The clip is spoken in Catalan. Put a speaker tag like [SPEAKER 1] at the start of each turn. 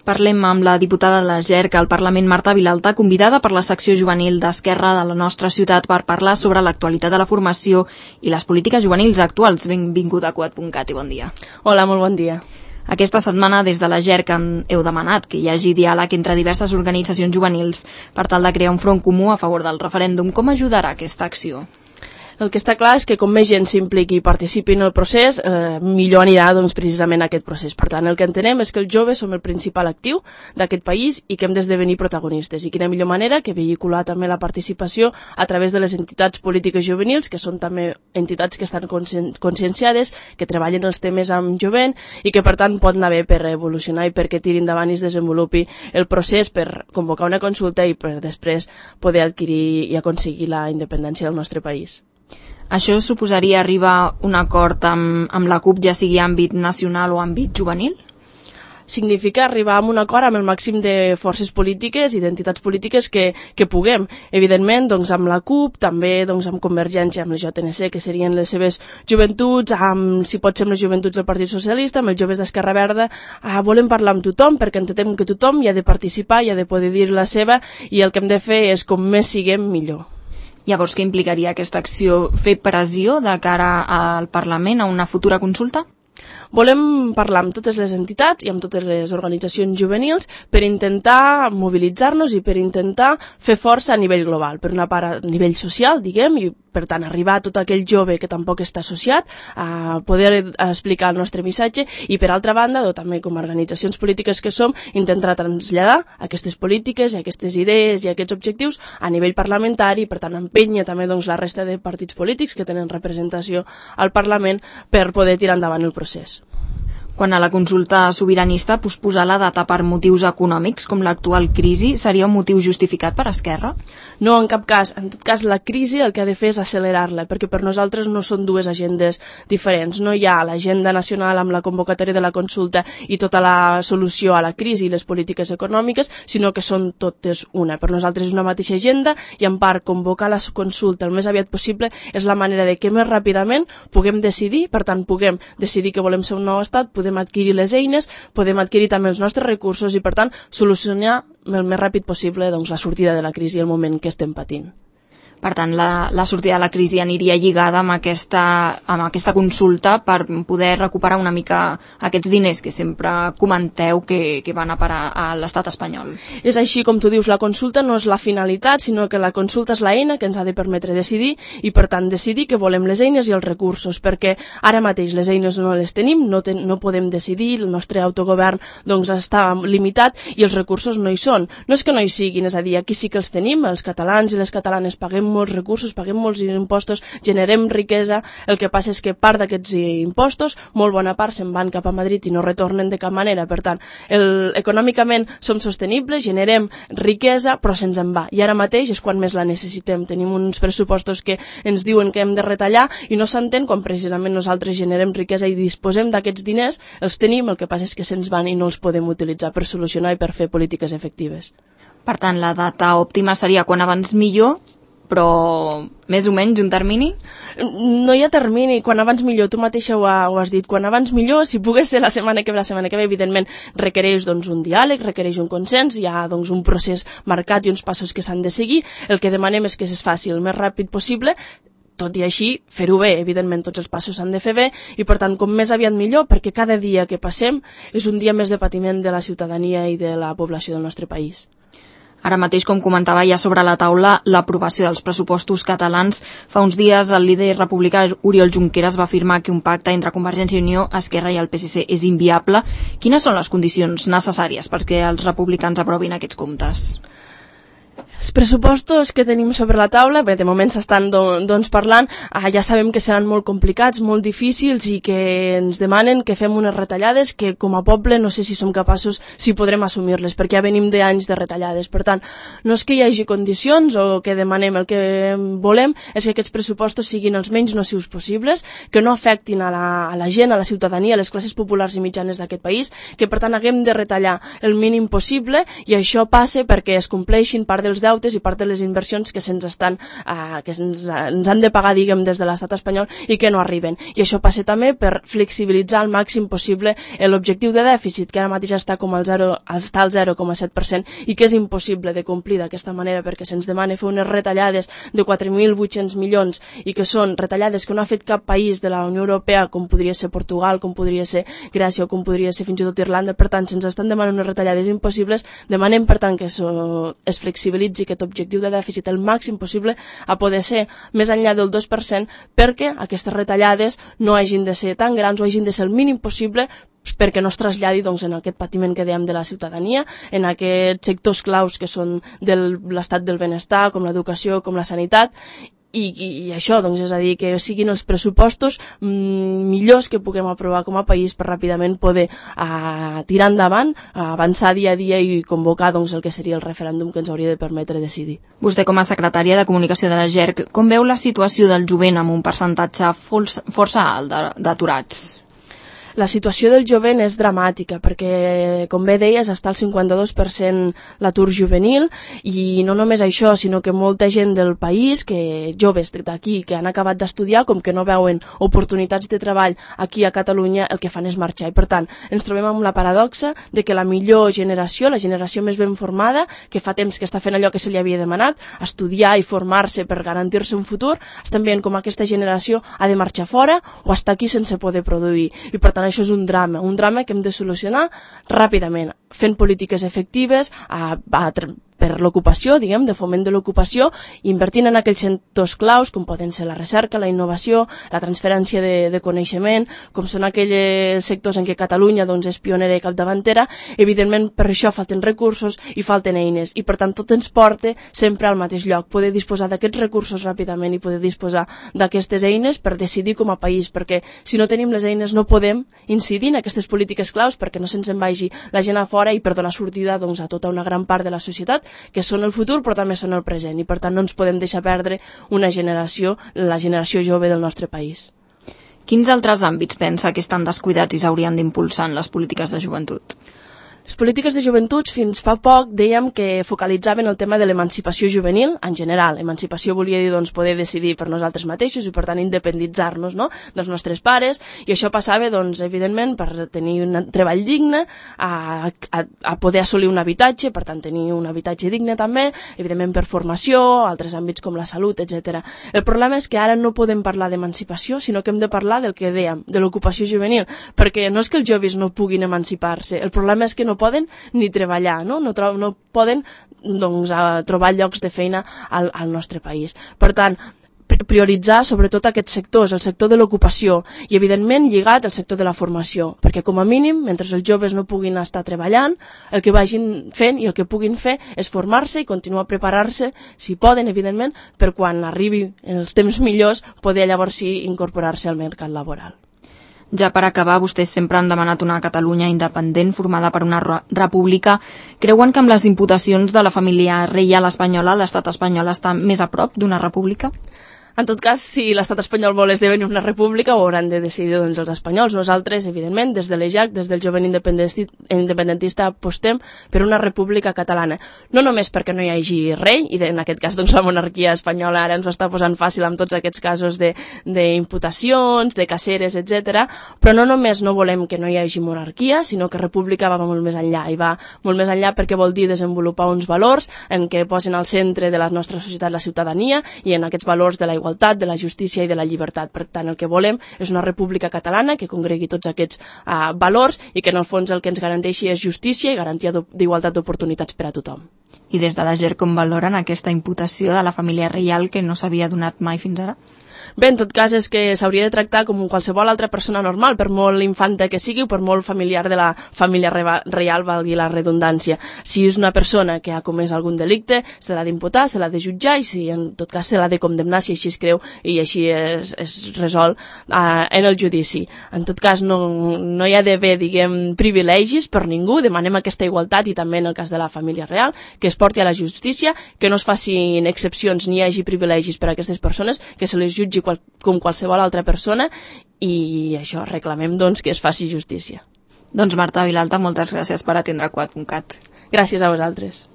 [SPEAKER 1] Parlem amb la diputada de la GERC al Parlament, Marta Vilalta, convidada per la secció juvenil d'Esquerra de la nostra ciutat per parlar sobre l'actualitat de la formació i les polítiques juvenils actuals. Benvinguda a Cugat.cat i bon dia.
[SPEAKER 2] Hola, molt bon dia.
[SPEAKER 1] Aquesta setmana des de la GERC heu demanat que hi hagi diàleg entre diverses organitzacions juvenils per tal de crear un front comú a favor del referèndum. Com ajudarà aquesta acció?
[SPEAKER 2] El que està clar és que com més gent s'impliqui i participi en el procés, millor anirà precisament aquest procés. Per tant, el que entenem és que els joves som el principal actiu d'aquest país i que hem d'esdevenir protagonistes. I quina millor manera que vehicular també la participació a través de les entitats polítiques juvenils, que són també entitats que estan conscienciades, que treballen els temes amb jovent i que per tant pot anar bé per evolucionar i perquè tiri endavant i es desenvolupi el procés per convocar una consulta i per després poder adquirir i aconseguir la independència del nostre país.
[SPEAKER 1] Això suposaria arribar a un acord amb la CUP, ja sigui àmbit nacional o àmbit juvenil?
[SPEAKER 2] Significa arribar a un acord amb el màxim de forces polítiques i d'entitats polítiques que puguem. Evidentment, amb la CUP, també amb Convergència, amb les JNC, que serien les seves joventuts, si pot ser amb les joventuts del Partit Socialista, amb els joves d'Esquerra Verda. Volem parlar amb tothom perquè entenem que tothom hi ha de participar, hi ha de poder dir la seva i el que hem de fer és com més siguem millor.
[SPEAKER 1] Llavors, què implicaria aquesta acció? Fer pressió de cara al Parlament a una futura consulta?
[SPEAKER 2] Volem parlar amb totes les entitats i amb totes les organitzacions juvenils per intentar mobilitzar-nos i per intentar fer força a nivell global, per una part a nivell social, diguem, i per tant arribar a tot aquell jove que tampoc està associat a poder explicar el nostre missatge i per altra banda, també com a organitzacions polítiques que som, intentar traslladar aquestes polítiques i aquestes idees i aquests objectius a nivell parlamentari i per tant empènyer també la resta de partits polítics que tenen representació al Parlament per poder tirar endavant el procés.
[SPEAKER 1] Quan a la consulta sobiranista posposar la data per motius econòmics, com l'actual crisi, seria un motiu justificat per Esquerra?
[SPEAKER 2] No, en cap cas. En tot cas, la crisi el que ha de fer és accelerar-la, perquè per nosaltres no són dues agendes diferents. No hi ha l'agenda nacional amb la convocatòria de la consulta i tota la solució a la crisi i les polítiques econòmiques, sinó que són totes una. Per nosaltres és una mateixa agenda i, en part, convocar la consulta el més aviat possible és la manera de que més ràpidament puguem decidir, per tant, puguem decidir que volem ser un nou estat, podem adquirir les eines, podem adquirir també els nostres recursos i, per tant, solucionar el més ràpid possible la sortida de la crisi i el moment que estem patint.
[SPEAKER 1] Per tant, la sortida de la crisi aniria lligada amb aquesta consulta per poder recuperar una mica aquests diners que sempre comenteu que van a parar a l'estat espanyol.
[SPEAKER 2] És així com tu dius, la consulta no és la finalitat, sinó que la consulta és l'eina que ens ha de permetre decidir i, per tant, decidir que volem les eines i els recursos, perquè ara mateix les eines no les tenim, no podem decidir, el nostre autogovern està limitat i els recursos no hi són. No és que no hi siguin, és a dir, aquí sí que els tenim, els catalans i les catalanes paguem molts recursos, paguem molts impostos, generem riquesa, el que passa és que part d'aquests impostos, molt bona part se'n van cap a Madrid i no retornen de cap manera, per tant, econòmicament som sostenibles, generem riquesa, però se'ns en va, i ara mateix és quan més la necessitem, tenim uns pressupostos que ens diuen que hem de retallar i no s'entén quan precisament nosaltres generem riquesa i disposem d'aquests diners, els tenim, el que passa és que se'ns van i no els podem utilitzar per solucionar i per fer polítiques efectives.
[SPEAKER 1] Per tant, la data òptima seria quan abans millor, però més o menys un termini?
[SPEAKER 2] No hi ha termini, quan abans millor, tu mateixa ho has dit, quan abans millor, si pogués ser la setmana que ve, evidentment requereix un diàleg, requereix un consens, hi ha un procés marcat i uns passos que s'han de seguir, el que demanem és que es faci el més ràpid possible, tot i així, fer-ho bé, evidentment tots els passos s'han de fer bé i per tant com més aviat millor perquè cada dia que passem és un dia més de patiment de la ciutadania i de la població del nostre país.
[SPEAKER 1] Ara mateix, com comentava ja sobre la taula, l'aprovació dels pressupostos catalans. Fa uns dies el líder republicà Oriol Junqueras va afirmar que un pacte entre Convergència i Unió, Esquerra i el PSC és inviable. Quines són les condicions necessàries perquè els republicans aprovin aquests comptes?
[SPEAKER 2] Els pressupostos que tenim sobre la taula, bé, de moment s'estan parlant, ja sabem que seran molt complicats, molt difícils i que ens demanen que fem unes retallades que com a poble no sé si som capaços, si podrem assumir-les, perquè ja venim d'anys de retallades. Per tant, no és que hi hagi condicions o que demanem, el que volem és que aquests pressupostos siguin els menys nocius possibles, que no afectin a la gent, a la ciutadania, a les classes populars i mitjanes d'aquest país, que per tant haguem de retallar el mínim possible i això passa perquè es compleixin part dels deutes i part de les inversions que ens han de pagar, diguem, des de l'estat espanyol i que no arriben. I això passa també per flexibilitzar al màxim possible l'objectiu de dèficit, que ara mateix està al 0,7% i que és impossible de complir d'aquesta manera perquè se'ns demana fer unes retallades de 4.800 milions i que són retallades que no ha fet cap país de la Unió Europea, com podria ser Portugal, com podria ser Grècia o com podria ser fins i tot Irlanda. Per tant, se'ns estan demanant unes retallades impossibles. Demanem, per tant, que es flexibilitzi aquest objectiu de dèficit el màxim possible a poder ser més enllà del 2% perquè aquestes retallades no hagin de ser tan grans o hagin de ser el mínim possible perquè no es traslladi en aquest patiment que dèiem de la ciutadania, en aquests sectors claus que són de l'estat del benestar, com l'educació, com la sanitat, i això, és a dir, que siguin els pressupostos millors que puguem aprovar com a país per ràpidament poder tirar endavant, avançar dia a dia i convocar el que seria el referèndum que ens hauria de permetre decidir.
[SPEAKER 1] Vostè, com a secretària de Comunicació de la GERC, com veu la situació del jovent amb un percentatge força alt d'aturats?
[SPEAKER 2] La situació del jovent és dramàtica perquè, com bé deies, està al 52% l'atur juvenil i no només això, sinó que molta gent del país, joves d'aquí, que han acabat d'estudiar, com que no veuen oportunitats de treball aquí a Catalunya, el que fan és marxar. I per tant, ens trobem amb la paradoxa de que la millor generació, la generació més ben formada, que fa temps que està fent allò que se li havia demanat, estudiar i formar-se per garantir-se un futur, estan veient com aquesta generació ha de marxar fora o està aquí sense poder produir. I per tant, això és un drama que hem de solucionar ràpidament, fent polítiques efectives per l'ocupació, diguem, de foment de l'ocupació, invertint en aquells sectors claus, com poden ser la recerca, la innovació, la transferència de coneixement, com són aquells sectors en què Catalunya és pionera i capdavantera. Evidentment, per això falten recursos i falten eines, i per tant tot ens porta sempre al mateix lloc, poder disposar d'aquests recursos ràpidament i poder disposar d'aquestes eines per decidir com a país, perquè si no tenim les eines no podem incidir en aquestes polítiques claus perquè no se'ns en vagi la gent a fora i per donar sortida a tota una gran part de la societat que són el futur però també són el present i per tant no ens podem deixar perdre una generació, la generació jove del nostre país.
[SPEAKER 1] Quins altres àmbits pensa que estan descuidats i s'haurien d'impulsar en les polítiques de joventut?
[SPEAKER 2] Les polítiques de joventut fins fa poc dèiem que focalitzaven el tema de l'emancipació juvenil en general. Emancipació volia dir poder decidir per nosaltres mateixos i per tant independitzar-nos dels nostres pares i això passava evidentment per tenir un treball digne, a poder assolir un habitatge, per tant tenir un habitatge digne també, evidentment per formació, altres àmbits com la salut, etc. El problema és que ara no podem parlar d'emancipació sinó que hem de parlar del que dèiem, de l'ocupació juvenil, perquè no és que els joves no puguin emancipar-se, el problema és que no poden ni treballar, no poden trobar llocs de feina al nostre país. Per tant, prioritzar sobretot aquests sectors, el sector de l'ocupació i evidentment lligat al sector de la formació, perquè com a mínim, mentre els joves no puguin estar treballant, el que vagin fent i el que puguin fer és formar-se i continuar a preparar-se, si poden, evidentment, per quan arribi els temps millors poder llavors sí incorporar-se al mercat laboral.
[SPEAKER 1] Ja per acabar, vostès sempre han demanat una Catalunya independent formada per una república. Creuen que amb les imputacions de la família reial espanyola l'estat espanyol està més a prop d'una república?
[SPEAKER 2] En tot cas, si l'estat espanyol vol esdevenir una república, ho hauran de decidir els espanyols. Nosaltres, evidentment, des de l'EJAC, des del jovent independentista, apostem per una república catalana. No només perquè no hi hagi rei, i en aquest cas la monarquia espanyola ara ens ho està posant fàcil amb tots aquests casos d'imputacions, de caceres, etc. Però no només no volem que no hi hagi monarquia, sinó que república va molt més enllà, i va molt més enllà perquè vol dir desenvolupar uns valors en què posen al centre de la nostra societat la ciutadania i en aquests valors de la igualtat, de la justícia i de la llibertat. Per tant, el que volem és una república catalana que congregui tots aquests valors i que en el fons el que ens garanteixi és justícia i garantia d'igualtat d'oportunitats per a tothom.
[SPEAKER 1] I des de la GERC com valoren aquesta imputació de la família reial que no s'havia donat mai fins ara?
[SPEAKER 2] Bé, en tot cas és que s'hauria de tractar com qualsevol altra persona normal, per molt infanta que sigui o per molt familiar de la família reial, valgui la redundància. Si és una persona que ha comès algun delicte, se l'ha d'imputar, se l'ha de jutjar i si en tot cas se l'ha de condemnar si així es creu i així es resol en el judici. En tot cas no hi ha d'haver, diguem, privilegis per ningú, demanem aquesta igualtat i també en el cas de la família real, que es porti a la justícia, que no es facin excepcions ni hi hagi privilegis per a aquestes persones, que se les jutgi com qualsevol altra persona i això, reclamem que es faci justícia.
[SPEAKER 1] Doncs Marta Vilalta, moltes gràcies per atendre Quat.cat.
[SPEAKER 2] Gràcies a vosaltres.